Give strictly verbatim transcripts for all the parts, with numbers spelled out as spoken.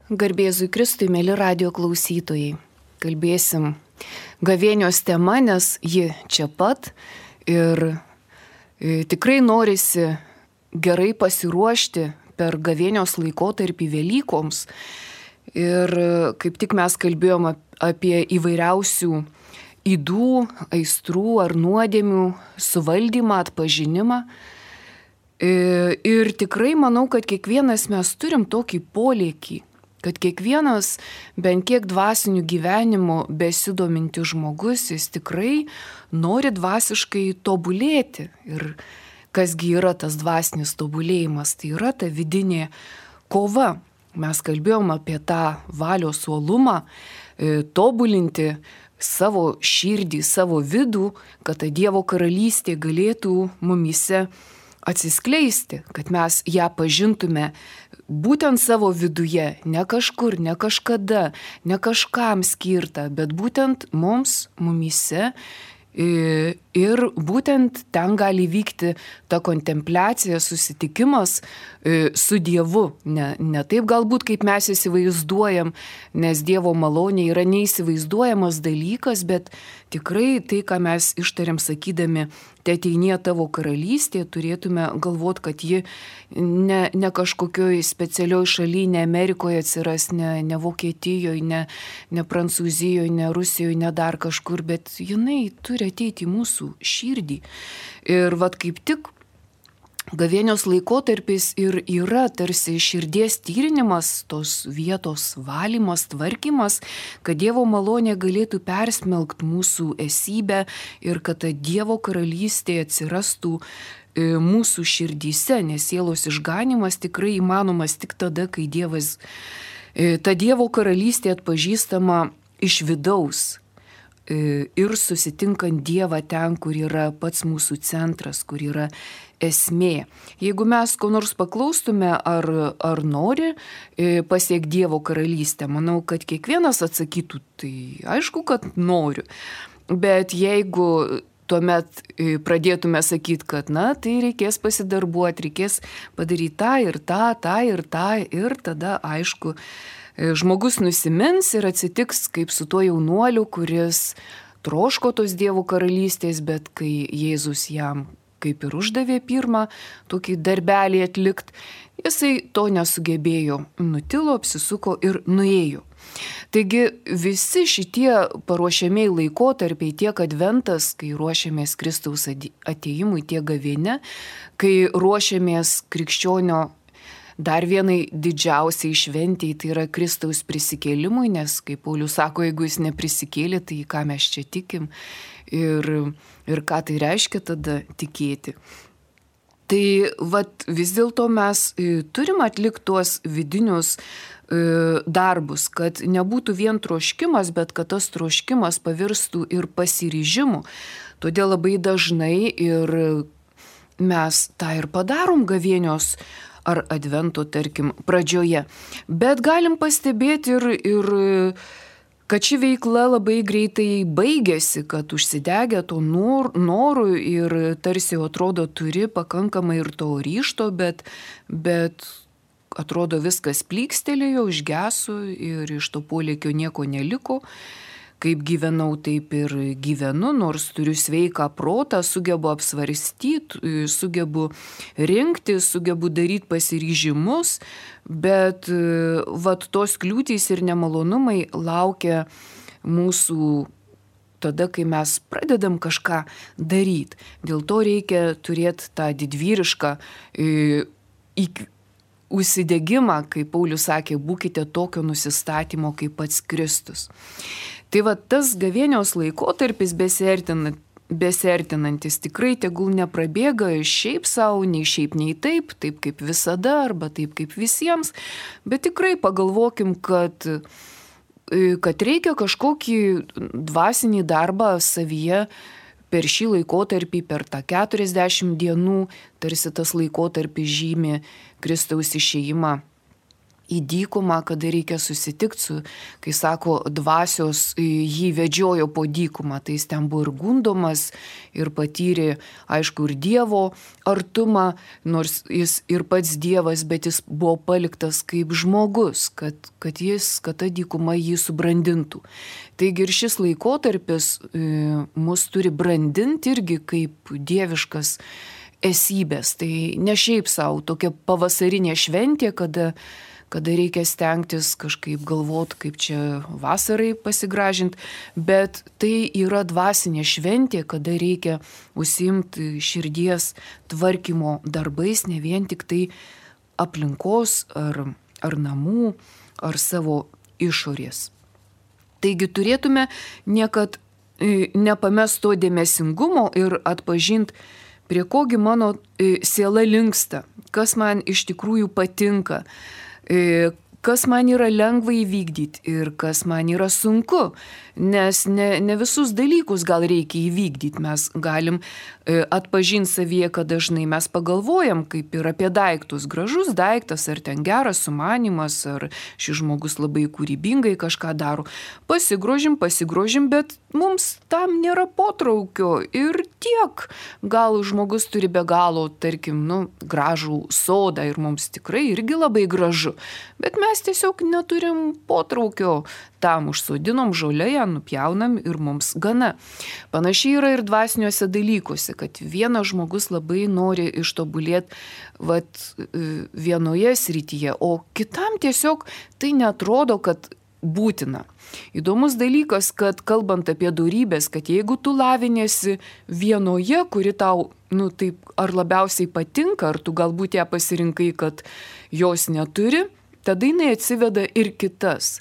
Garbėzui Kristui, mėly radio klausytojai. Kalbėsim gavėnios tema, nes ji čia pat ir e, tikrai norisi gerai pasiruošti per gavėnios laikotarpį Velykoms. Ir e, kaip tik mes kalbėjom apie įvairiausių ydų, aistrų ar nuodėmių suvaldymą, atpažinimą. E, ir tikrai manau, kad kiekvienas mes turim tokį polėkį, kad kiekvienas bent kiek dvasiniu gyvenimu besidominti žmogus, jis tikrai nori dvasiškai tobulėti. Ir kasgi yra tas dvasinis tobulėjimas, tai yra ta vidinė kova. Mes kalbėjom apie tą valios uolumą, e, tobulinti savo širdį, savo vidų, kad ta Dievo karalystė galėtų mumyse atsiskleisti, kad mes ją pažintume būtent savo viduje, ne kažkur, ne kažkada, ne kažkam skirta, bet būtent mums, mumyse. Ir būtent ten gali vykti ta kontempliacija, susitikimas su Dievu. Ne, ne taip galbūt, kaip mes įsivaizduojam, nes Dievo malonė yra neįsivaizduojamas dalykas, bet tikrai tai, ką mes ištariam sakydami, te ateinie tavo karalystė, turėtume galvoti, kad ji ne, ne kažkokioj specialioj šalyje, ne Amerikoje atsiras, ne, ne Vokietijoje, ne, ne Prancūzijoje, ne Rusijoje, ne dar kažkur, bet jinai turi ateiti į mūsų širdį. Ir vat kaip tik gavėnios laikotarpis ir yra tarsi širdies tyrinimas, tos vietos valymas, tvarkymas, kad Dievo malonė galėtų persmelkti mūsų esybę ir kad ta Dievo karalystė atsirastų mūsų širdyse, nes sielos išganimas tikrai įmanomas tik tada, kai Dievas, ta Dievo karalystė atpažįstama iš vidaus. Ir susitinkant Dievą ten, kur yra pats mūsų centras, kur yra esmė. Jeigu mes ko nors paklaustume, ar, ar nori pasiekti Dievo karalystę, manau, kad kiekvienas atsakytų, tai aišku, kad noriu. Bet jeigu tuomet pradėtume sakyti, kad na, tai reikės pasidarbuoti, reikės padaryti tą ir tą, tą ir tą, ir tada aišku, žmogus nusimins ir atsitiks kaip su tuo jaunuoliu, kuris troško tos Dievo karalystės, bet kai Jėzus jam kaip ir uždavė pirmą tokį darbelį atlikti, jisai to nesugebėjo, nutilo, apsisuko ir nuėjo. Taigi visi šitie paruošiamiai laikotarpiai, tiek adventas, kai ruošiamės Kristaus atėjimui, tiek gavėnia, kai ruošiamės krikščionio dar vienai didžiausiai šventei, tai yra Kristaus prisikėlimui, nes, kaip Paulius sako, jeigu jis neprisikėlė, tai ką mes čia tikim ir, ir ką tai reiškia tada tikėti. Tai vat, vis dėlto mes turim atlikti tuos vidinius e, darbus, kad nebūtų vien troškimas, bet kad tas troškimas pavirstų ir pasiryžimu. Todėl labai dažnai ir mes tą ir padarom gavėnios ar advento, tarkim, pradžioje. Bet galim pastebėti ir, ir kad ši veikla labai greitai baigėsi, kad užsidegė to nor, norų ir tarsi atrodo turi pakankamai ir to ryžto, bet, bet atrodo viskas plykstelėjo, užgeso ir iš to polėkio nieko neliko. Kaip gyvenau, taip ir gyvenu, nors turiu sveiką protą, sugebu apsvarstyti, sugebu rinkti, sugebu daryti pasiryžimus, bet vat tos kliūtys ir nemalonumai laukia mūsų tada, kai mes pradedam kažką daryti. Dėl to reikia turėti tą didvyrišką įkvėpimą. Užsidegimą, kaip Paulius sakė, būkite tokio nusistatymo kaip pats Kristus. Tai va tas gavėnios laikotarpis besiartinant, besiartinantis tikrai tegul neprabėga šiaip savo, nei šiaip, nei taip, taip kaip visada arba taip kaip visiems, bet tikrai pagalvokim, kad, kad reikia kažkokį dvasinį darbą savyje per šį laikotarpį, per tą keturiasdešimt dienų, tarsi tas laikotarpis žymi Kristaus išėjimą į dykumą, kada reikia susitikti su, kai sako, dvasios jį vedžiojo po dykumą, tai jis ten buvo ir gundomas, ir patyrė, aišku, ir Dievo artumą, nors jis ir pats Dievas, bet jis buvo paliktas kaip žmogus, kad, kad jis, kad ta dykuma jį subrandintų. Taigi ir šis laikotarpis e, mus turi brandinti irgi kaip dieviškas esybės. Tai ne šiaip savo, tokia pavasarinė šventė, kada kada reikia stengtis kažkaip galvoti, kaip čia vasarai pasigražinti, bet tai yra dvasinė šventė, kada reikia užsiimti širdies tvarkymo darbais, ne vien tik tai aplinkos ar, ar namų, ar savo išorės. Taigi turėtume niekad nepamest to dėmesingumo ir atpažinti, prie kogi mano siela linksta, kas man iš tikrųjų patinka, kas man yra lengva įvykdyti ir kas man yra sunku, nes ne, ne visus dalykus gal reikia įvykdyti. Mes galim atpažinti savyje, kad dažnai mes pagalvojam kaip ir apie daiktus. Gražus daiktas, ar ten geras sumanymas, ar šis žmogus labai kūrybingai kažką daro. Pasigrožim, pasigrožim, bet mums tam nėra potraukio ir tiek. Gal žmogus turi be galo, tarkim, nu, gražų sodą ir mums tikrai irgi labai gražu, bet mes tiesiog neturim potraukio. Tam užsodinom žolėje, nupjaunam ir mums gana. Panašiai yra ir dvasiniuose dalykuose, kad vienas žmogus labai nori ištobulėti vat, vienoje srityje, o kitam tiesiog tai netrodo, kad būtina. Įdomus dalykas, kad kalbant apie dorybės, kad jeigu tu lavinėsi vienoje, kuri tau, nu, taip, ar labiausiai patinka, ar tu galbūt ją pasirinkai, kad jos neturi, tada jinai atsiveda ir kitas.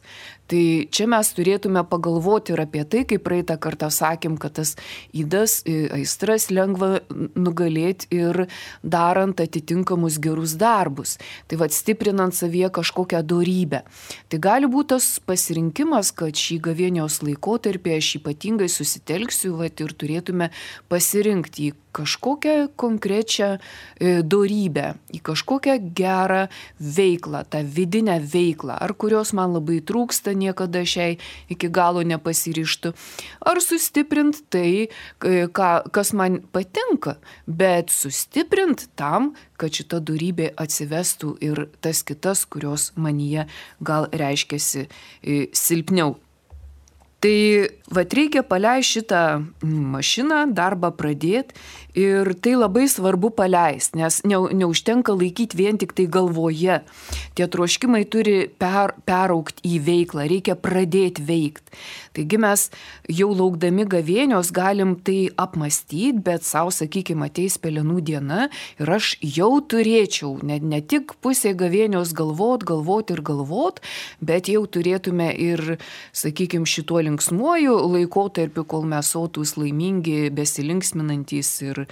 Tai čia mes turėtume pagalvoti ir apie tai, kaip praeitą kartą sakėm, kad tas ydas, aistras lengva nugalėti ir darant atitinkamus gerus darbus. Tai vad stiprinant savyje kažkokią dorybę. Tai gali būti tas pasirinkimas, kad šį gavėnios laikotarpį aš ypatingai susitelksiu, vat, ir turėtume pasirinkti į kažkokią konkrečią e, dorybę, į kažkokią gerą veiklą, tą vidinę veiklą, ar kurios man labai trūksta, niekada šiai iki galo nepasiryštų, ar sustiprint tai, ką, kas man patinka, bet sustiprint tam, kad šita dorybė atsivestų ir tas kitas, kurios manyje gal reiškiasi silpniau. Tai vat reikia paleisti šitą mašiną, darbą pradėti ir tai labai svarbu paleisti, nes ne, neužtenka laikyti vien tik tai galvoje. Tie troškimai turi per, peraukti į veiklą, reikia pradėti veikti. Taigi mes jau laukdami gavėnios galim tai apmastyti, bet savo, sakykime, ateis pelenų diena ir aš jau turėčiau ne, ne tik pusė gavėnios galvot, galvot ir galvot, bet jau turėtume ir, sakykime, šituo linksmuoju laikotarpiu, kol mes sotūs, laimingi, besilinksminantys ir,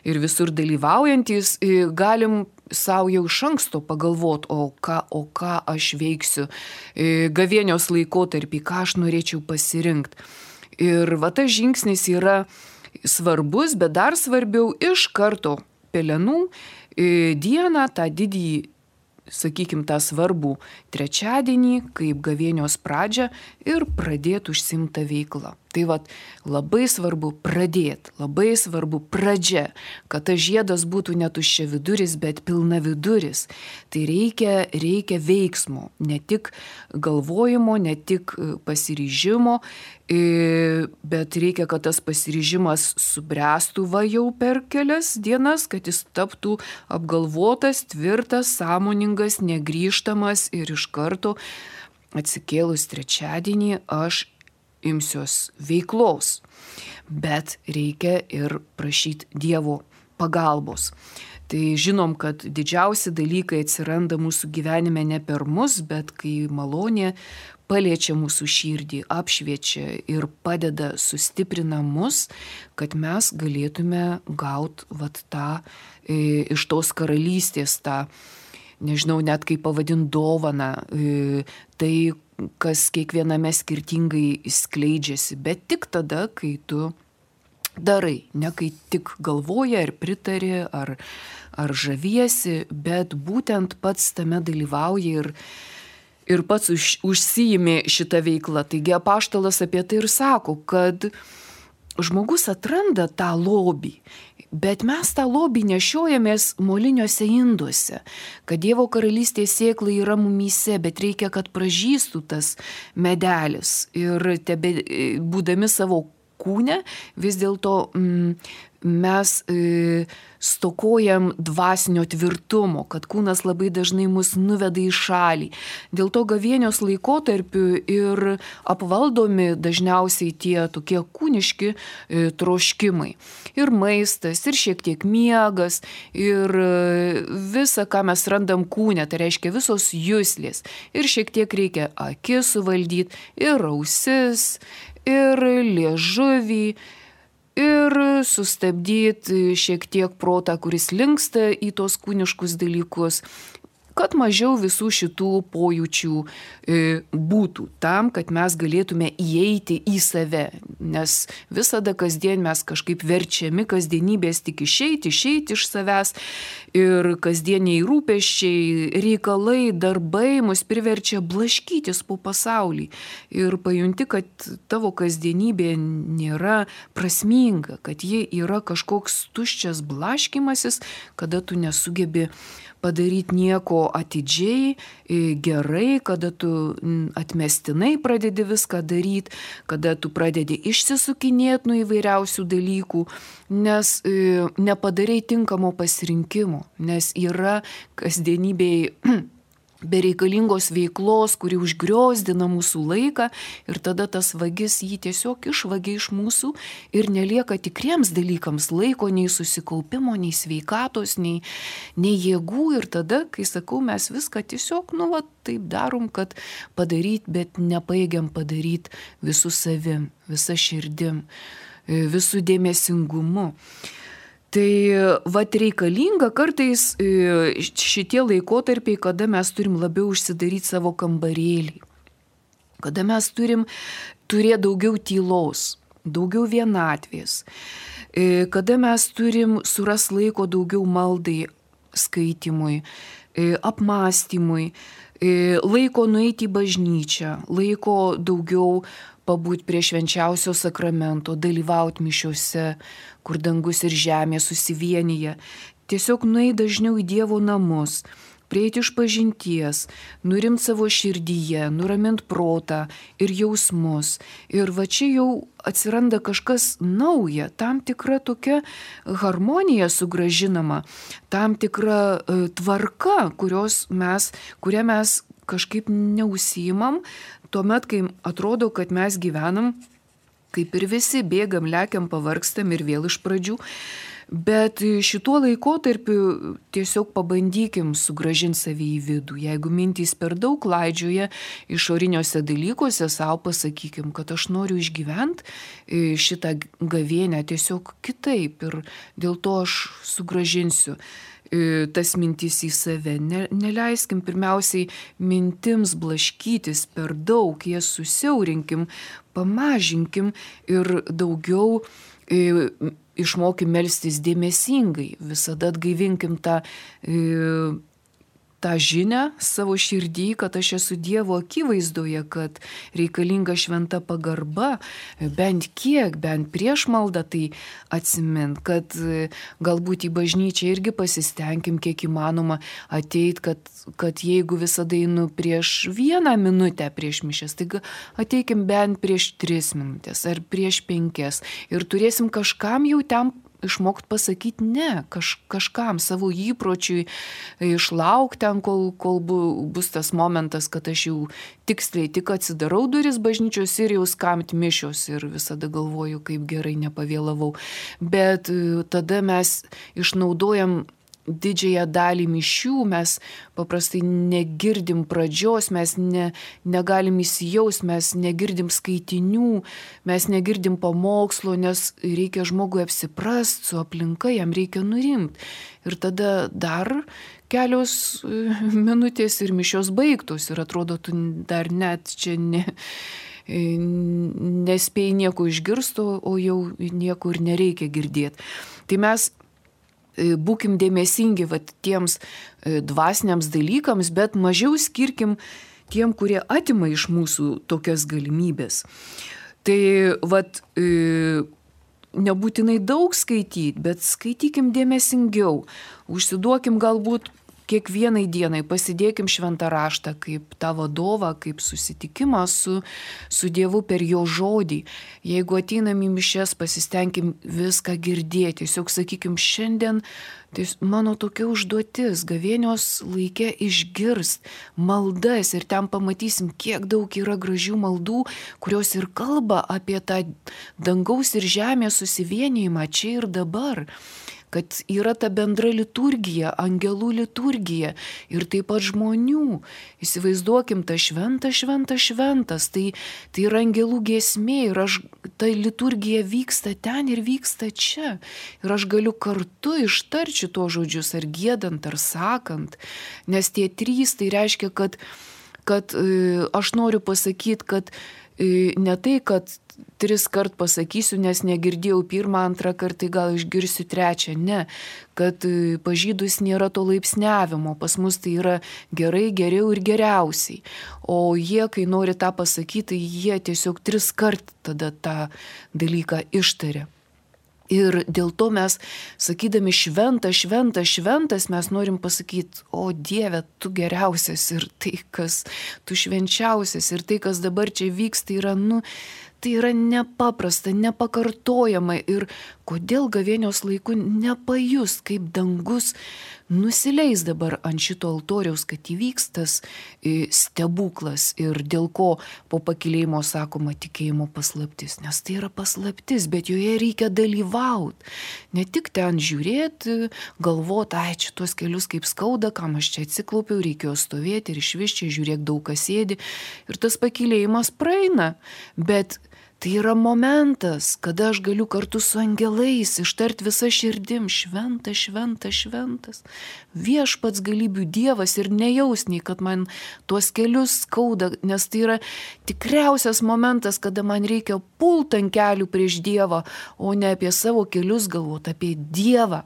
ir visur dalyvaujantys, galim savo jau iš anksto pagalvot, o ką, o ką aš veiksiu gavėnios laikotarpį, ką aš norėčiau pasirinkti. Ir va tas žingsnis yra svarbus, bet dar svarbiau iš karto pelenų dieną, tą didįjį, sakykim, tą svarbų trečiadienį, kaip gavėnios pradžią ir pradėti užsimtą veiklą. Tai vat labai svarbu pradėti, labai svarbu pradžia, kad tas žiedas būtų ne tuščia viduris, bet pilna viduris. Tai reikia, reikia veiksmo, ne tik galvojimo, ne tik pasiryžimo, bet reikia, kad tas pasiryžimas subręstų va jau per kelias dienas, kad jis taptų apgalvotas, tvirtas, sąmoningas, negrįžtamas ir iš karto atsikėlus trečiadienį aš imsiuos veiklos. Bet reikia ir prašyti Dievo pagalbos. Tai žinom, kad didžiausi dalykai atsiranda mūsų gyvenime ne per mus, bet kai malonė paliečia mūsų širdį, apšviečia ir padeda, sustiprina mus, kad mes galėtume gauti vat tą e, iš tos karalystės, tą, nežinau net kaip pavadint, dovaną, e, tai, kas kiekviename skirtingai skleidžiasi, bet tik tada, kai tu darai, ne kai tik galvoji ar pritari, ar, ar žaviesi, bet būtent pats tame dalyvauji ir, ir pats už, užsiimi šitą veiklą. Taigi apaštalas apie tai ir sako, kad žmogus atranda tą lobį, bet mes tą lobį nešiojamės moliniuose induose, kad Dievo karalystės sėkla yra mumyse, bet reikia, kad pražystų tas medelis ir tebe, būdami savo kūne, vis dėlto mm, mes e, stokojam dvasinio tvirtumo, kad kūnas labai dažnai mus nuveda į šalį. Dėl to gavėnios laikotarpiu ir apvaldomi dažniausiai tie tokie kūniški e, troškimai. Ir maistas, ir šiek tiek miegas, ir e, visa, ką mes randam kūne, tai reiškia visos juslės. Ir šiek tiek reikia akis suvaldyti, ir ausis, ir liežuvį, ir sustabdyti šiek tiek protą, kuris linksta į tos kūniškus dalykus, kad mažiau visų šitų pojūčių e, būtų tam, kad mes galėtume įeiti į save, nes visada kasdien mes kažkaip verčiami kasdienybės tik išeiti, išeiti iš savęs ir kasdieniai rūpesčiai, reikalai, darbai mus priverčia blaškytis po pasaulį ir pajunti, kad tavo kasdienybė nėra prasminga, kad ji yra kažkoks tuščias blaškymasis, kada tu nesugebi padaryti nieko atidžiai, gerai, kada tu atmestinai pradedi viską daryti, kada tu pradedi išsisukinėti nuo įvairiausių dalykų, nes nepadarai tinkamo pasirinkimo, nes yra kasdienybėje bereikalingos veiklos, kuri užgriozdina mūsų laiką ir tada tas vagis jį tiesiog išvagia iš mūsų ir nelieka tikriems dalykams laiko, nei susikaupimo, nei sveikatos, nei, nei jėgų ir tada, kai sakau, mes viską tiesiog, nu, va, taip darom, kad padaryt, bet nepajėgiam padaryt visų savim, visą širdim, visų dėmesingumu. Tai vat reikalinga kartais šitie laikotarpiai, kada mes turim labiau užsidaryti savo kambarėlį, kada mes turim turėti daugiau tylos, daugiau vienatvės, kada mes turim suras laiko daugiau maldai, skaitimui, apmąstymui, laiko nueiti į bažnyčią, laiko daugiau pabūti prie švenčiausio sakramento, dalyvauti mišiuose, kur dangus ir žemė susivienyje, tiesiog nueiti dažniau į Dievo namus, prieiti iš pažinties, nurimti savo širdyje, nuraminti protą ir jausmus. Ir va čia jau atsiranda kažkas nauja, tam tikra tokia harmonija sugrąžinama, tam tikra uh, tvarka, kurios mes, kurią mes kažkaip neužsiimam, tuomet, kai atrodo, kad mes gyvenam, kaip ir visi, bėgam, lekiam, pavargstam ir vėl iš pradžių. Bet šituo laikotarpiu tiesiog pabandykim sugrąžinti savį į vidų. Jeigu mintys per daug klaidžioja išoriniuose dalykuose, savo pasakykim, kad aš noriu išgyventi šitą gavėnę tiesiog kitaip ir dėl to aš sugrąžinsiu tas mintis į save. Ne, neleiskim pirmiausiai mintims blaškytis per daug, jas susiaurinkim, pamažinkim ir daugiau e, išmokim melstis dėmesingai. Visada atgaivinkim tą, e, tą žinią savo širdį, kad aš esu Dievo akivaizdoje, kad reikalinga šventa pagarba, bent kiek, bent prieš maldą tai atsimint, kad galbūt į bažnyčią irgi pasistengim kiek įmanoma ateit, kad, kad jeigu visada einu prieš vieną minutę prieš mišias, tai ateikim bent prieš tris minutės ar prieš penkias ir turėsim kažkam jau ten išmokti pasakyti ne, kaž, kažkam savo įpročiui, išlaukti ten, kol, kol bu, bus tas momentas, kad aš jau tiksliai tik atsidarau duris bažnyčios ir jau skamt mišios ir visada galvoju, kaip gerai nepavėlavau. Bet tada mes išnaudojam didžiąją dalį mišių, mes paprastai negirdim pradžios, mes ne, negalim įsijaust, mes negirdim skaitinių, mes negirdim pamokslo, nes reikia žmogui apsiprast su aplinka, jam reikia nurimti. Ir tada dar kelios minutės ir mišios baigtos ir atrodo, tu dar net čia ne, nespėjai nieko išgirsti, o jau nieko ir nereikia girdėti. Tai mes būkim dėmesingi vat, tiems dvasiniams dalykams, bet mažiau skirkim tiem, kurie atima iš mūsų tokias galimybės. Tai vat, nebūtinai daug skaityti, bet skaitykim dėmesingiau, užsiduokim galbūt kiekvienai dienai, pasidėkim šventą raštą kaip tą vadovą, kaip susitikimą su, su Dievu per jo žodį. Jeigu ateinam į mišias, pasistengim viską girdėti. Tiesiog sakykim, šiandien tai mano tokia užduotis, gavėnios laike išgirst maldas ir ten pamatysim, kiek daug yra gražių maldų, kurios ir kalba apie tą dangaus ir žemės susivienijimą čia ir dabar. Kad yra ta bendra liturgija, angelų liturgija ir taip pat žmonių. Įsivaizduokim, ta šventa, šventa, šventas, tai, tai yra angelų giesmė ir aš, ta liturgija vyksta ten ir vyksta čia. Ir aš galiu kartu ištarti šitos žodžius, ar giedant, ar sakant, nes tie trys tai reiškia, kad, kad aš noriu pasakyti, kad ne tai, kad tris kart pasakysiu, nes negirdėjau pirmą, antrą kartą, gal išgirsiu trečią. Ne, kad pas žydus nėra to laipsniavimo, pas mus tai yra gerai, geriau ir geriausiai. O jie, kai nori tą pasakyti, jie tiesiog tris kart tada tą dalyką ištaria. Ir dėl to mes, sakydami šventą, šventą, šventas, mes norim pasakyti, o Dieve, tu geriausias ir tai, kas tu švenčiausias ir tai, kas dabar čia vyksta, yra, nu, tai yra nepaprasta, nepakartojama ir kodėl gavėnios laiku nepajus, kaip dangus nusileis dabar ant šito altoriaus, kad įvyks tas stebuklas ir dėl ko po pakilėjimo sakoma tikėjimo paslaptis, nes tai yra paslaptis, bet joje reikia dalyvauti, ne tik ten žiūrėti, galvoti, ai, čia tuos kelius kaip skauda, kam aš čia atsiklaupiau, reikėjo stovėti ir išvis čia žiūrėk daug kas sėdi ir tas pakilėjimas praeina, bet tai yra momentas, kada aš galiu kartu su angelais ištarti visą širdim, šventas, šventas, šventas, viešpats galybių Dievas ir nejausniai, kad man tuos kelius skauda, nes tai yra tikriausias momentas, kada man reikia pult ant kelių prieš Dievą, o ne apie savo kelius galvoti, apie Dievą.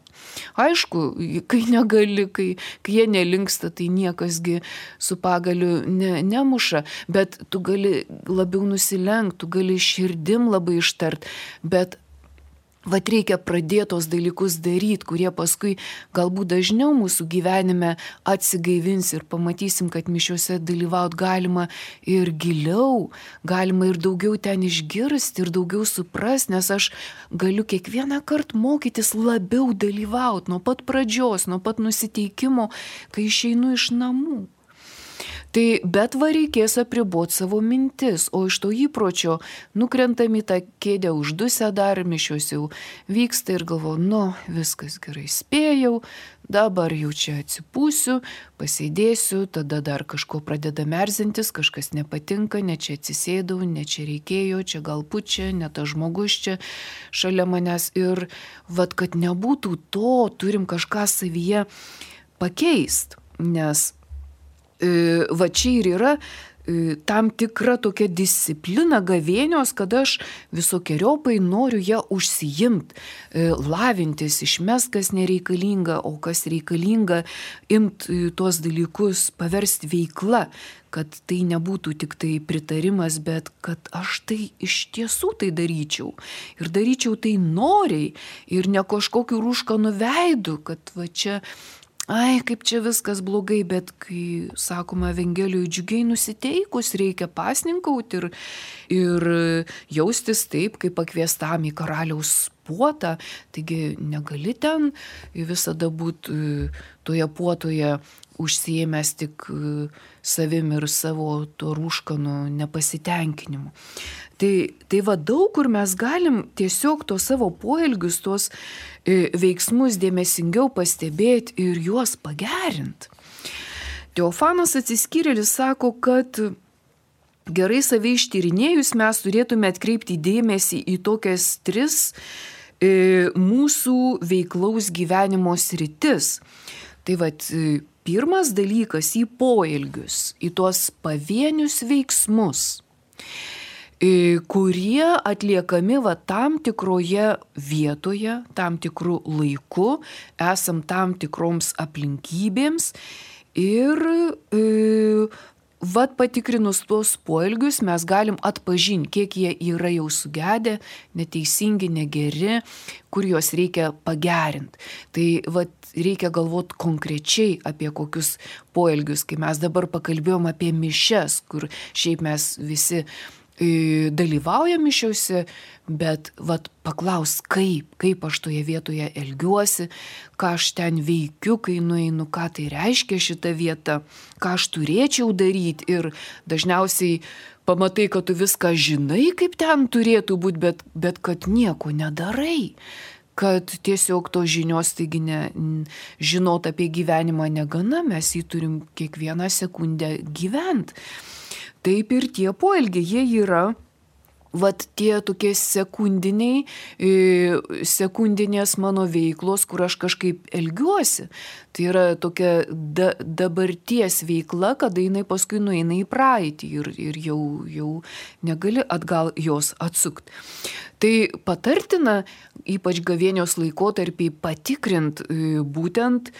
Aišku, kai negali, kai, kai jie nelinksta, tai niekasgi su pagaliu ne, nemuša, bet tu gali labiau nusilenkti, tu gali širdim labai ištart, bet vat reikia pradėtos dalykus daryti, kurie paskui galbūt dažniau mūsų gyvenime atsigaivins ir pamatysim, kad mišiuose dalyvaut galima ir giliau, galima ir daugiau ten išgirsti ir daugiau suprast, nes aš galiu kiekvieną kartą mokytis labiau dalyvaut nuo pat pradžios, nuo pat nusiteikimo, kai išeinu iš namų. Tai bet va reikės apriboti savo mintis, o iš to įpročio nukrentam į tą kėdę uždusę dar, mišios jau vyksta ir galvoju, nu, viskas gerai spėjau, dabar jau čia atsipūsiu, pasėdėsiu, tada dar kažko pradeda merzintis, kažkas nepatinka, ne čia atsisėdau, ne čia reikėjo, čia gal pučia, ne tas žmogus čia šalia manęs ir vat, kad nebūtų to, turim kažką savyje pakeist, nes va čia ir yra tam tikra tokia disciplina gavėnios, kad aš visokiojopai noriu ją užsijimti, lavintis, išmest, kas nereikalinga, o kas reikalinga, imti tuos dalykus, paversti veikla, kad tai nebūtų tik tai pritarimas, bet kad aš tai iš tiesų tai daryčiau. Ir daryčiau tai noriai ir ne kažkokiu rūškanu veidu, kad va čia ai, kaip čia viskas blogai, bet kai, sakoma, Evangelijoje džiugiai nusiteikus, reikia pasninkauti ir, ir jaustis taip, kaip pakviestam į karaliaus puotą. Taigi negali ten visada būti toje puotoje užsiėmęs tik savim ir savo to rūškanu nepasitenkinimu. Tai, tai va daug kur mes galim tiesiog to savo poelgius, tos veiksmus dėmesingiau pastebėti ir juos pagerinti. Teofanas Atsiskyrėlis sako, kad gerai save ištyrinėjus mes turėtume atkreipti dėmesį į tokias tris e, mūsų veiklaus gyvenimo sritis. Tai vat, pirmas dalykas į poelgius, į tuos pavienius veiksmus. kurie atliekami va tam tikroje vietoje, tam tikrų laiku, esam tam tikroms aplinkybėms ir e, vat patikrinus tuos poelgius mes galim atpažinti, kiek jie yra jau sugedę, neteisingi, negeri, kur juos reikia pagerinti. Tai vat reikia galvoti konkrečiai apie kokius poelgius, kai mes dabar pakalbėjom apie mišias, kur šiaip mes visi dalyvauja mišiuose, bet vat paklaus, kaip, kaip aš toje vietoje elgiuosi, ką aš ten veikiu, kai nueinu, ką tai reiškia šita vieta, ką aš turėčiau daryti ir dažniausiai pamatai, kad tu viską žinai, kaip ten turėtų būti, bet, bet kad nieko nedarai. Kad tiesiog to žinios, taigi ne, žinot apie gyvenimą negana, mes jį turim kiekvieną sekundę gyventi. Taip ir tie poelgiai, jie yra, vat tie tokie sekundiniai, sekundinės mano veiklos, kur aš kažkaip elgiuosi. Tai yra tokia da, dabarties veikla, kada jinai paskui nueina į praeitį ir, ir jau, jau negali atgal jos atsukti. Tai patartina, ypač gavėnios laikotarpį, patikrint būtent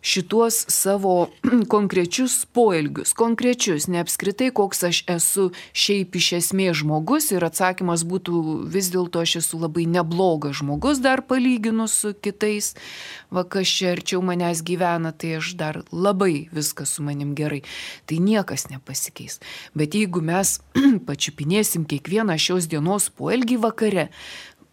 šituos savo konkrečius poelgius, konkrečius, ne apskritai, koks aš esu šiaip iš esmės žmogus ir atsakymas būtų vis dėlto aš esu labai neblogas žmogus dar palyginus su kitais, va kas čia arčiau manęs gyvena, tai aš dar labai viskas su manim gerai, tai niekas nepasikeis. Bet jeigu mes pačiupinėsim kiekvieną šios dienos poelgį vakare,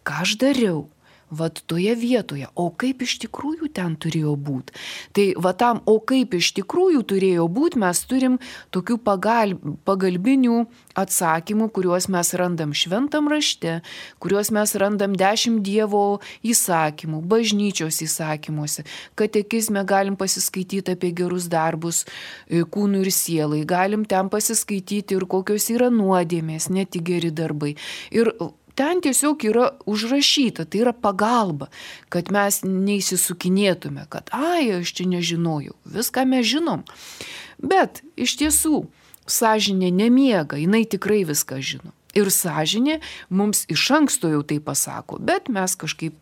ką aš dariau? Vat toje vietoje, o kaip iš tikrųjų ten turėjo būti. Tai va tam, o kaip iš tikrųjų turėjo būti, mes turim tokių pagal, pagalbinių atsakymų, kuriuos mes randam šventam rašte, kuriuos mes randam dešimt Dievo įsakymų, bažnyčios įsakymuose. Katekizme galim pasiskaityti apie gerus darbus kūnui ir sielai, galim ten pasiskaityti ir kokios yra nuodėmės, ne tik geri darbai. Ir ten tiesiog yra užrašyta, tai yra pagalba, kad mes neįsisukinėtume, kad ai, aš čia nežinojau, viską mes žinom. Bet iš tiesų, sąžinė nemiega, jinai tikrai viską žino. Ir sąžinė mums iš anksto jau tai pasako, bet mes kažkaip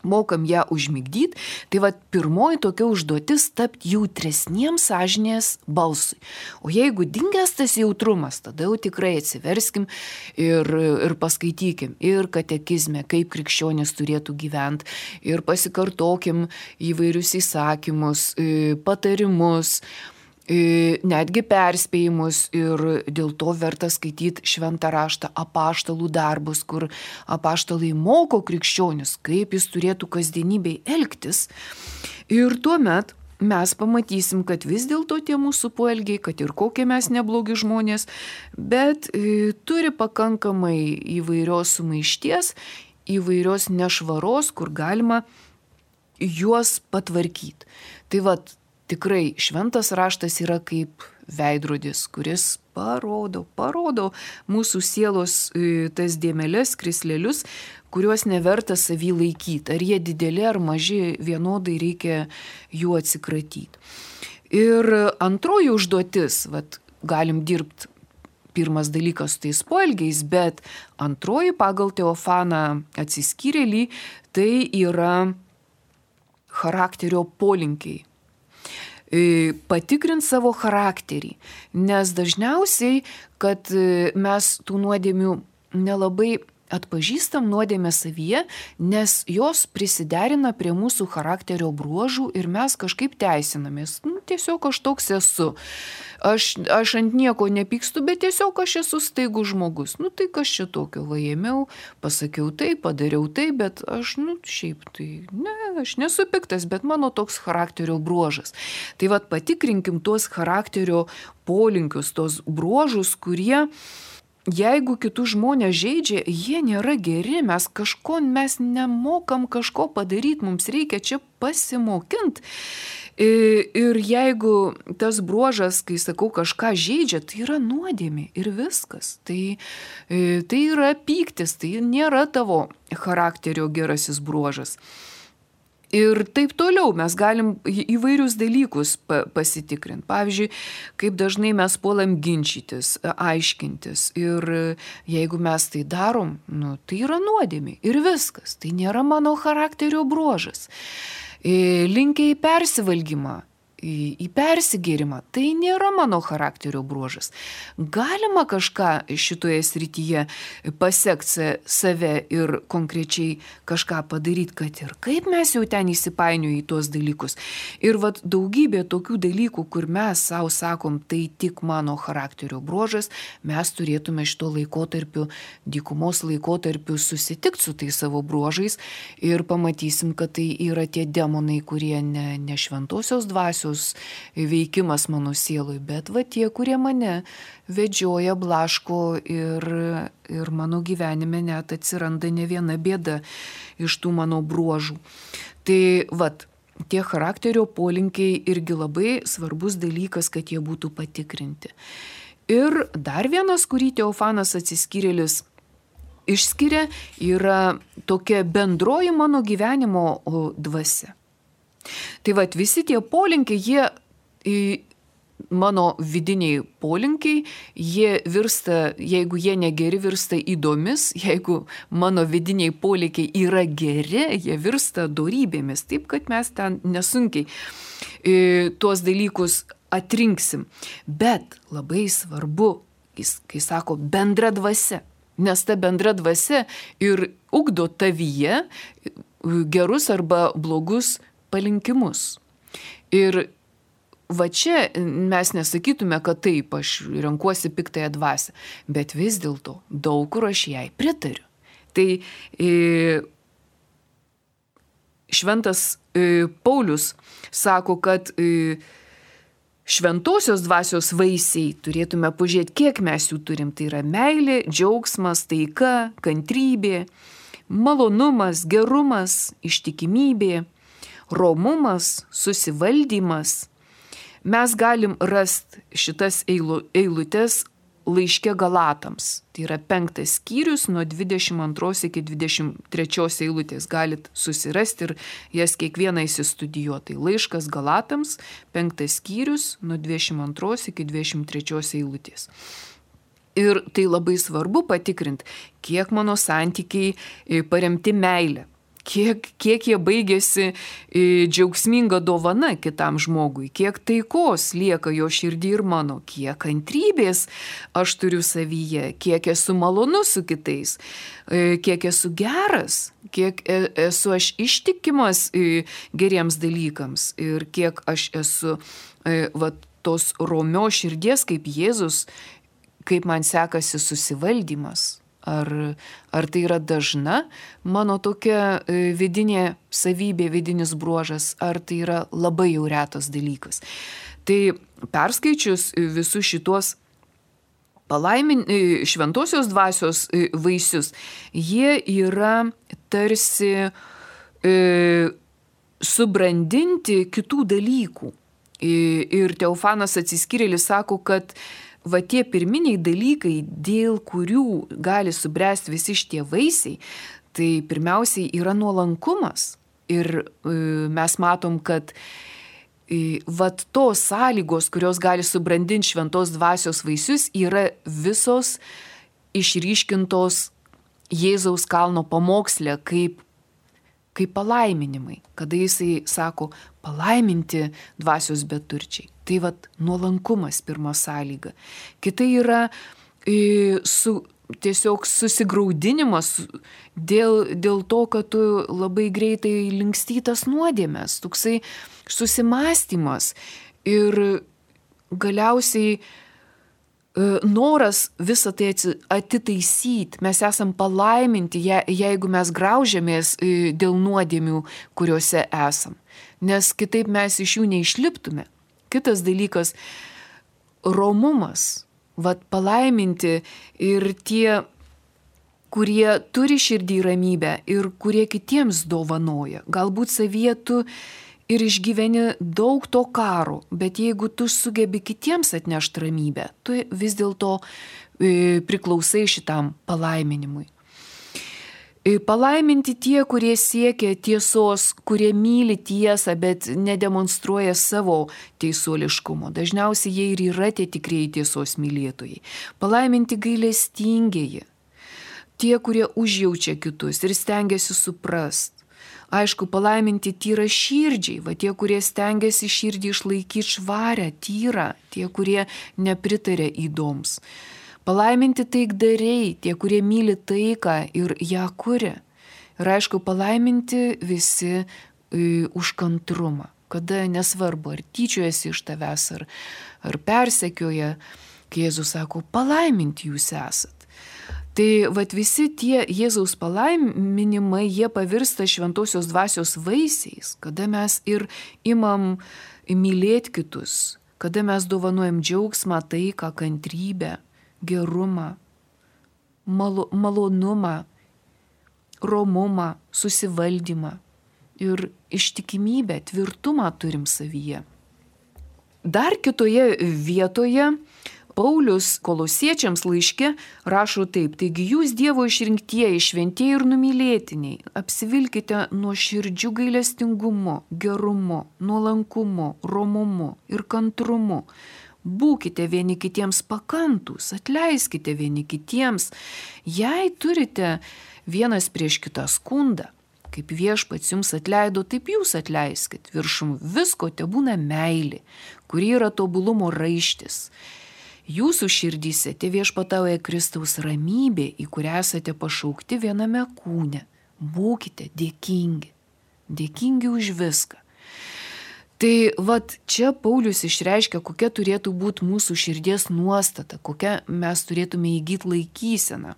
mokam ją užmigdyti. Tai va pirmoji tokia užduotis tapti jautresniems sąžinės balsui. O jeigu dingęs tas jautrumas, tada jau tikrai atsiverskim ir, ir paskaitykim ir katekizme, kaip krikščionis turėtų gyventi, ir pasikartokim įvairius įsakymus, patarimus, netgi perspėjimus ir dėl to verta skaityti šventą raštą, apaštalų darbus, kur apaštalai moko krikščionius, kaip jis turėtų kasdienybėj elgtis. Ir tuomet mes pamatysim, kad vis dėlto tie mūsų poelgiai, kad ir kokie mes neblogi žmonės, bet e, turi pakankamai įvairios sumaišties, įvairios nešvaros, kur galima juos patvarkyti. Tai vat, tikrai šventas raštas yra kaip veidrodis, kuris parodo, parodo mūsų sielos tas dėmeles, krislelius, kuriuos neverta savy laikyti. Ar jie dideli ar maži, vienodai reikia jų atsikratyti. Ir antroji užduotis, vat, galim dirbti pirmas dalykas su tais poelgiais, bet antroji pagal Teofaną atsiskyrėlį, tai yra charakterio polinkiai. Patikrint savo charakterį, nes dažniausiai, kad mes tų nuodėmių nelabai atpažįstam nuodėmę savyje, nes jos prisiderina prie mūsų charakterio bruožų ir mes kažkaip teisinamės. Nu, tiesiog aš toks esu. Aš, aš ant nieko nepykstu, bet tiesiog aš esu staigus žmogus. Nu, tai kas čia tokio, va ėmiau, pasakiau tai, padariau tai, bet aš, nu, šiaip tai, ne, aš nesu piktas, bet mano toks charakterio bruožas. Tai vat patikrinkim tuos charakterio polinkius, tos bruožus, kurie jeigu kitus žmonės žeidžia, jie nėra geri, mes kažko, mes nemokam kažko padaryti, mums reikia čia pasimokinti. Ir jeigu tas bruožas, kai sakau, kažką žeidžia, tai yra nuodėmė ir viskas. Tai, tai yra pyktis, tai nėra tavo charakterio gerasis bruožas. Ir taip toliau mes galim įvairius dalykus pasitikrinti. Pavyzdžiui, kaip dažnai mes puolam ginčytis, aiškintis. Ir jeigu mes tai darom, nu, tai yra nuodėmė. Ir viskas. Tai nėra mano charakterio bruožas. Linkia į persivalgymą, į, į persigėrimą. Tai nėra mano charakterio bruožas. Galima kažką šitoje srityje pasiekti save ir konkrečiai kažką padaryti, kad ir kaip mes jau ten įsipainioju į tuos dalykus. Ir vat daugybė tokių dalykų, kur mes savo sakom, tai tik mano charakterio bruožas, mes turėtume šito laikotarpiu, dykumos laikotarpiu susitikti su tais savo bruožais ir pamatysim, kad tai yra tie demonai, kurie ne, ne šventosios dvasios veikimas mano sielui, bet va tie, kurie mane vedžioja, blaško ir, ir mano gyvenime net atsiranda ne viena bėda iš tų mano bruožų. Tai vat, tie charakterio polinkiai irgi labai svarbus dalykas, kad jie būtų patikrinti. Ir dar vienas, kurį Teofanas Atsiskyrėlis išskiria, yra tokia bendroji mano gyvenimo dvasia. Tai vat visi tie polinkiai, jie, mano vidiniai polinkiai, jie virsta, jeigu jie negeri, virsta įdomis, jeigu mano vidiniai polinkiai yra geri, jie virsta dorybėmis, taip kad mes ten nesunkiai tuos dalykus atrinksim. Bet labai svarbu, kai sako bendra dvasia, nes ta bendra dvasia ir ugdo tavyje gerus arba blogus palinkimus. Ir va čia mes nesakytume, kad taip, aš renkuosi piktąją dvasią, bet vis dėlto daug kur aš jai pritariu. Tai e, šventas e, Paulius sako, kad e, šventosios dvasios vaisiai turėtume pažiūrėti, kiek mes jų turim. Tai yra meilė, džiaugsmas, taika, kantrybė, malonumas, gerumas, ištikimybė, romumas, susivaldymas. Mes galim rasti šitas eilutes laiške Galatams. Tai yra penktas skyrius nuo dvidešimt antros iki dvidešimt trečios eilutės. Galit susirasti ir jas kiekvieną įsistudijuoti. Tai laiškas Galatams, penktas skyrius nuo dvidešimt antros iki dvidešimt trečios eilutės. Ir tai labai svarbu patikrinti, kiek mano santykiai paremti meilę. Kiek, kiek jie baigėsi džiaugsminga dovana kitam žmogui, kiek taikos lieka jo širdį ir mano, kiek kantrybės aš turiu savyje, kiek esu malonus su kitais, kiek esu geras, kiek esu aš ištikimas geriems dalykams ir kiek aš esu va, tos romios širdies kaip Jėzus, kaip man sekasi susivaldymas. Ar, ar tai yra dažna mano tokia vidinė savybė, vidinis bruožas, ar tai yra labai jau retas dalykas. Tai perskaičius visus šitos palaimin, šventosios dvasios vaisius, jie yra tarsi e, subrandinti kitų dalykų. Ir Teofanas Atsiskyrėlis sako, kad va tie pirminiai dalykai, dėl kurių gali subręsti visi šitie vaisiai, tai pirmiausiai yra nuolankumas. Ir e, mes matom, kad e, va tos sąlygos, kurios gali subrandinti šventos dvasios vaisius, yra visos išryškintos Jėzaus kalno pamoksle kaip kaip palaiminimai, kada jisai sako palaiminti dvasios beturčiai. Tai vat nuolankumas pirma sąlyga. Kita yra e, su, tiesiog susigraudinimas dėl, dėl to, kad tu labai greitai linkstytas nuodėmės, toksai susimąstymas ir galiausiai noras visą tai atitaisyti. Mes esam palaiminti, jeigu mes graužiamės dėl nuodėmių, kuriuose esam. Nes kitaip mes iš jų neišliptume. Kitas dalykas – romumas. Vat palaiminti ir tie, kurie turi širdį ramybę ir kurie kitiems dovanoja. Galbūt savyje tu ir išgyveni daug to karo, bet jeigu tu sugebi kitiems atnešti ramybę, tu vis dėlto e, priklausai šitam palaiminimui. Palaiminti tie, kurie siekia tiesos, kurie myli tiesą, bet nedemonstruoja savo teisuoliškumo. Dažniausiai jie ir yra tie tikrieji tiesos mylėtojai. Palaiminti gailestingieji, tie, kurie užjaučia kitus ir stengiasi suprast. Aišku, palaiminti tyra širdžiai, va tie, kurie stengiasi širdį išlaikyti švarę, tyrą, tie, kurie nepritarė įdoms. Palaiminti taikdariai, tie, kurie myli taiką ir ją kuria. Ir aišku, palaiminti visi e, už kantrumą, kada nesvarbu, ar tyčiojasi iš tavęs, ar, ar persekioja, kai Jėzus sako, palaiminti jūs esat. Tai vat visi tie Jėzaus palaiminimai, jie pavirsta šventosios dvasios vaisiais, kada mes ir imam mylėti kitus, kada mes dovanojam džiaugsmą, taiką, kantrybę, gerumą, malo, malonumą, romumą, susivaldymą ir ištikimybę, tvirtumą turim savyje. Dar kitoje vietoje Paulius Kolosiečiams laiške rašo taip, taigi jūs Dievo išrinktieji, šventieji ir numylėtiniai, apsivilkite nuoširdžiu gailestingumu, gerumu, nuolankumu, romumu ir kantrumu. Būkite vieni kitiems pakantūs, atleiskite vieni kitiems, jei turite vienas prieš kitą skundą. Kaip Viešpats jums atleido, taip jūs atleiskit. Viršum visko tebūna meilė, kuri yra tobulumo raištis. Jūsų širdyse te viešpatauja Kristaus ramybė, į kurią esate pašaukti viename kūne. Būkite dėkingi, dėkingi už viską. Tai vat čia Paulius išreiškia, kokia turėtų būti mūsų širdies nuostata, kokią mes turėtume įgyti laikyseną.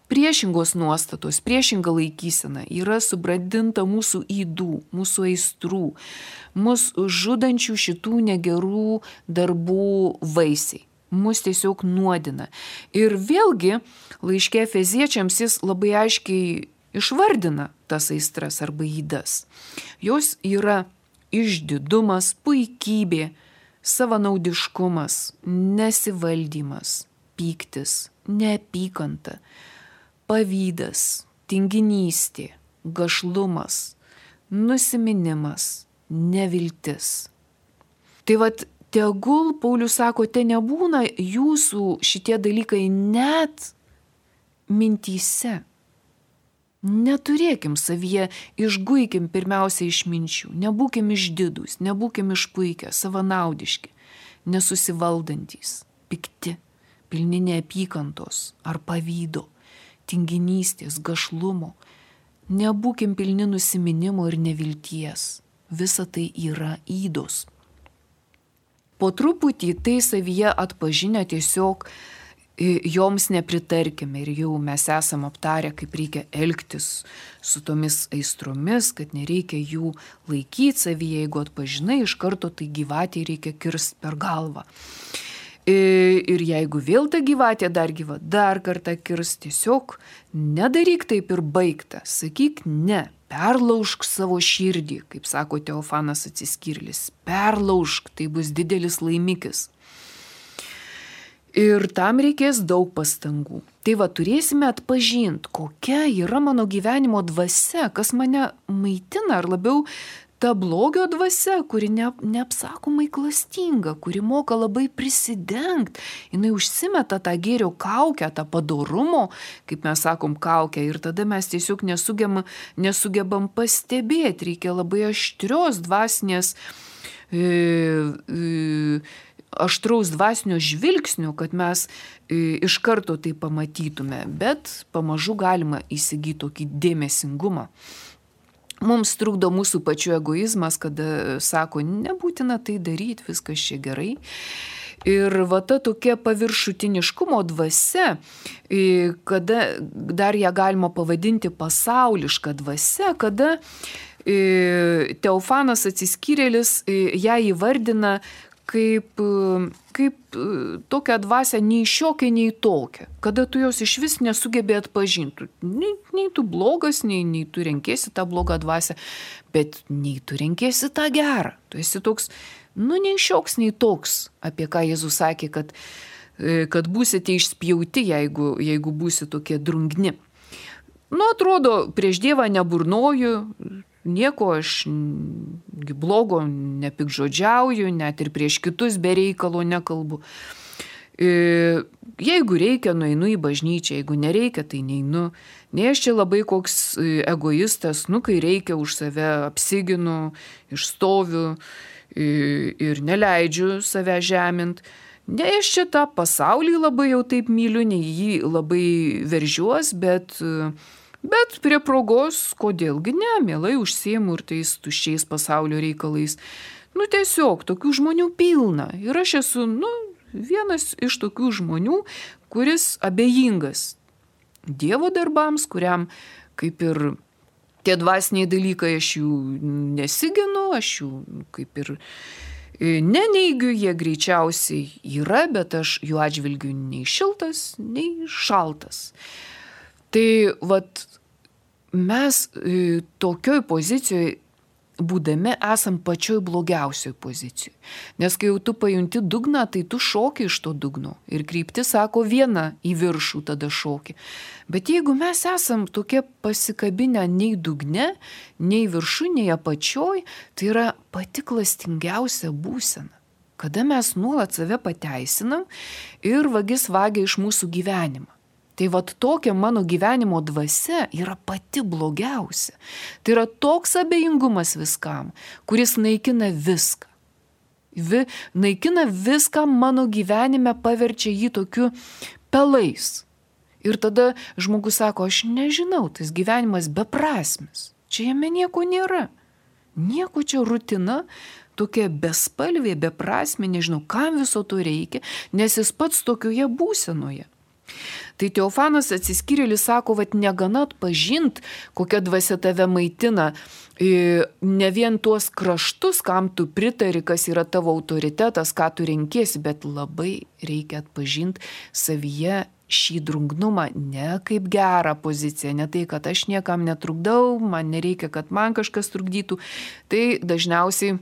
Priešingos nuostatos, priešinga laikysena yra subrandinta mūsų ydų, mūsų aistrų, mūsų žudančių šitų negerų darbų vaisiai. Mus tiesiog nuodina. Ir vėlgi laiške Efeziečiams jis labai aiškiai išvardina tas aistras arba ydas. Jos yra išdidumas, puikybė, savanaudiškumas, nesivaldymas, pyktis, neapykanta, pavydas, tinginystė, gašlumas, nusiminimas, neviltis. Tai vat tegul, Paulius sako, te nebūna jūsų šitie dalykai net mintyse. Neturėkim savyje, išguikim pirmiausia iš minčių, nebūkim išdidūs, nebūkim išpuikę, savanaudiški, nesusivaldantys, pikti, pilni neapykantos ar pavydo, tinginystės, gašlumo. Nebūkim pilni nusiminimo ir nevilties. Visa tai yra ydos. Po truputį tai savyje atpažinę tiesiog joms nepritarkime ir jau mes esam aptarę, kaip reikia elgtis su tomis aistromis, kad nereikia jų laikyti savyje, jeigu atpažinai iš karto, tai gyvatė reikia kirst per galvą. Ir jeigu vėl ta gyvatė dar gyva, dar kartą kirst, tiesiog nedaryk taip ir baigta, sakyk ne. Perlaužk savo širdį, kaip sako Teofanas Atsiskyrėlis. Perlaužk, tai bus didelis laimikis. Ir tam reikės daug pastangų. Tai va, turėsime atpažinti, kokia yra mano gyvenimo dvasia, kas mane maitina, ar labiau ta blogio dvasia, kuri ne, neapsakomai klastinga, kuri moka labai prisidengti. Jinai užsimeta tą gėrio kaukę, tą padorumo, kaip mes sakom, kaukę. Ir tada mes tiesiog nesugebam, nesugebam pastebėti. Reikia labai aštrios dvasinės, e, e, aštraus dvasinio žvilgsnio, kad mes e, iš karto tai pamatytume. Bet pamažu galima įsigyti tokį dėmesingumą. Mums trukdo mūsų pačių egoizmas, kada sako, nebūtina tai daryti, viskas čia gerai. Ir va ta tokia paviršutiniškumo dvasia, kada dar ją galima pavadinti pasauliška dvasia, kada Teofanas Atsiskyrėlis ją įvardina kaip, kaip tokią dvasią nei šiokią, nei tokią, kada tu jos iš vis nesugebė atpažinti. Nei, nei tu blogas, nei, nei tu renkėsi tą blogą dvasią, bet nei tu renkėsi tą gerą. Tu esi toks, nu, nei šioks, nei toks, apie ką Jėzus sakė, kad, kad būsite išspjauti, jeigu, jeigu būsi tokie drungni. Nu, atrodo, prieš Dievą neburnoju, nieko aš blogo nepikžodžiauju, net ir prieš kitus be reikalo nekalbu. Jeigu reikia, nueinu į bažnyčią, jeigu nereikia, tai neinu. Ne aš čia labai koks egoistas, nu, kai reikia už save apsiginu, išstoviu ir neleidžiu save žemint. Ne aš čia tą pasaulį labai jau taip myliu, ne jį labai veržiuos, bet, bet prie progos, kodėlgi ne, mielai užsiimu ir tais tuščiais pasaulio reikalais. Nu, tiesiog, tokių žmonių pilna. Ir aš esu, nu, vienas iš tokių žmonių, kuris abejingas Dievo darbams, kuriam kaip ir tie dvasiniai dalykai, aš jų nesiginu, aš jų kaip ir neneigiu, jie greičiausiai yra, bet aš jų atžvilgiu nei šiltas, nei šaltas. Tai vat mes tokioj pozicijoje būdami esam pačioj blogiausioj pozicijoj. Nes kai jau tu pajunti dugną, tai tu šoki iš to dugno. Ir kryptis sako viena į viršų tada šoki. Bet jeigu mes esam tokie pasikabinę nei dugne, nei viršų, nei apačioj, tai yra pati klastingiausia būsena. Kada mes nuolat save pateisinam ir vagis vagia iš mūsų gyvenimą. Tai vat tokia mano gyvenimo dvasia yra pati blogiausia. Tai yra toks abejingumas viskam, kuris naikina viską. Vi, naikina viską mano gyvenime, paverčia jį tokiu pelais. Ir tada žmogus sako, aš nežinau, tas gyvenimas beprasmis. Čia jame nieko nėra. Nieko čia rutina, tokia bespalvė, beprasmė, nežinau, kam viso to reikia, nes jis pats tokioje būsenoje. Tai Teofanas Atsiskyrėlis sako, kad negana atpažint, kokia dvasia tave maitina, ne vien tuos kraštus, kam tu pritari, kas yra tavo autoritetas, ką tu renkiesi, bet labai reikia atpažint savyje šį drungnumą, ne kaip gerą poziciją, ne tai, kad aš niekam netrukdau, man nereikia, kad man kažkas trukdytų. Tai dažniausiai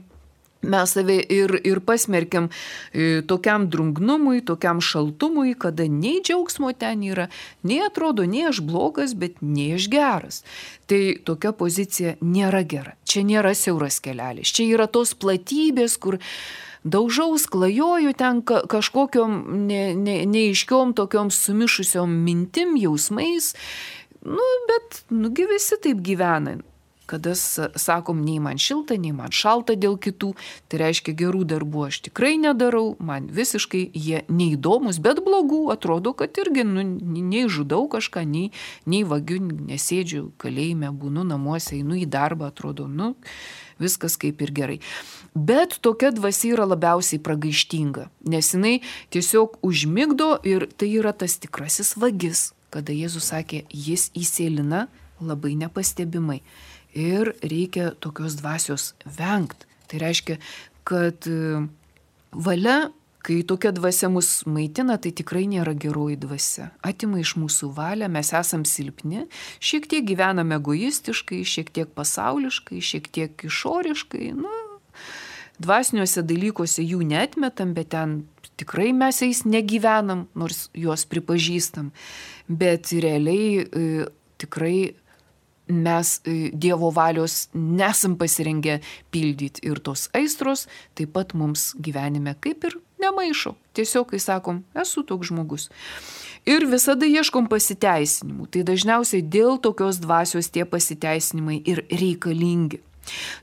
mes save ir, ir pasmerkiam e, tokiam drungnumui, tokiam šaltumui, kada nei džiaugsmo ten yra, nei atrodo, nei aš blogas, bet nei aš geras. Tai tokia pozicija nėra gera. Čia nėra siauras kelelis. Čia yra tos platybės, kur daužaus, klajoju ten ka, kažkokiom ne, ne, neiškiom tokiom sumišusiom mintim, jausmais. Nu, bet nugi visi taip gyvena. Kada sakom, nei man šilta, nei man šalta dėl kitų, tai reiškia gerų darbų aš tikrai nedarau, man visiškai jie neįdomus, bet blogų atrodo, kad irgi nu, nei žudau kažką, nei, nei vagiu, nesėdžiu kalėjime, būnu namuose, einu į darbą, atrodo, nu, viskas kaip ir gerai. Bet tokia dvasia yra labiausiai pragaištinga, nes jinai tiesiog užmigdo ir tai yra tas tikrasis vagis, kada Jėzus sakė, jis įsėlina labai nepastebimai. Ir reikia tokios dvasios vengti. Tai reiškia, kad valia, kai tokia dvasia mus maitina, tai tikrai nėra geroji dvasia. Atima iš mūsų valią, mes esam silpni, šiek tiek gyvename egoistiškai, šiek tiek pasauliškai, šiek tiek išoriškai. Nu, dvasiniuose dalykuose jų neatmetam, bet ten tikrai mes jais negyvenam, nors juos pripažįstam. Bet realiai e, tikrai mes Dievo valios nesam pasirengę pildyti ir tos aistros taip pat mums gyvenime kaip ir nemaišo. Tiesiog, kai sakom, esu toks žmogus. Ir visada ieškom pasiteisinimų. Tai dažniausiai dėl tokios dvasios tie pasiteisinimai ir reikalingi.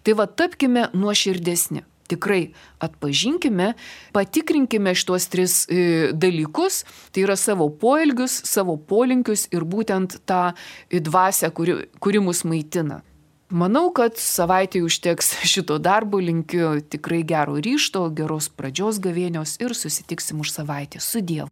Tai va, tapkime nuoširdesni. Tikrai atpažinkime, patikrinkime šitos tris e, dalykus, tai yra savo poelgius, savo polinkius ir būtent tą dvasią, kuri, kuri mus maitina. Manau, kad savaitė užteks šito darbo, linkiu tikrai gero ryžto, geros pradžios gavėnios ir susitiksim už savaitę. Su Dievu.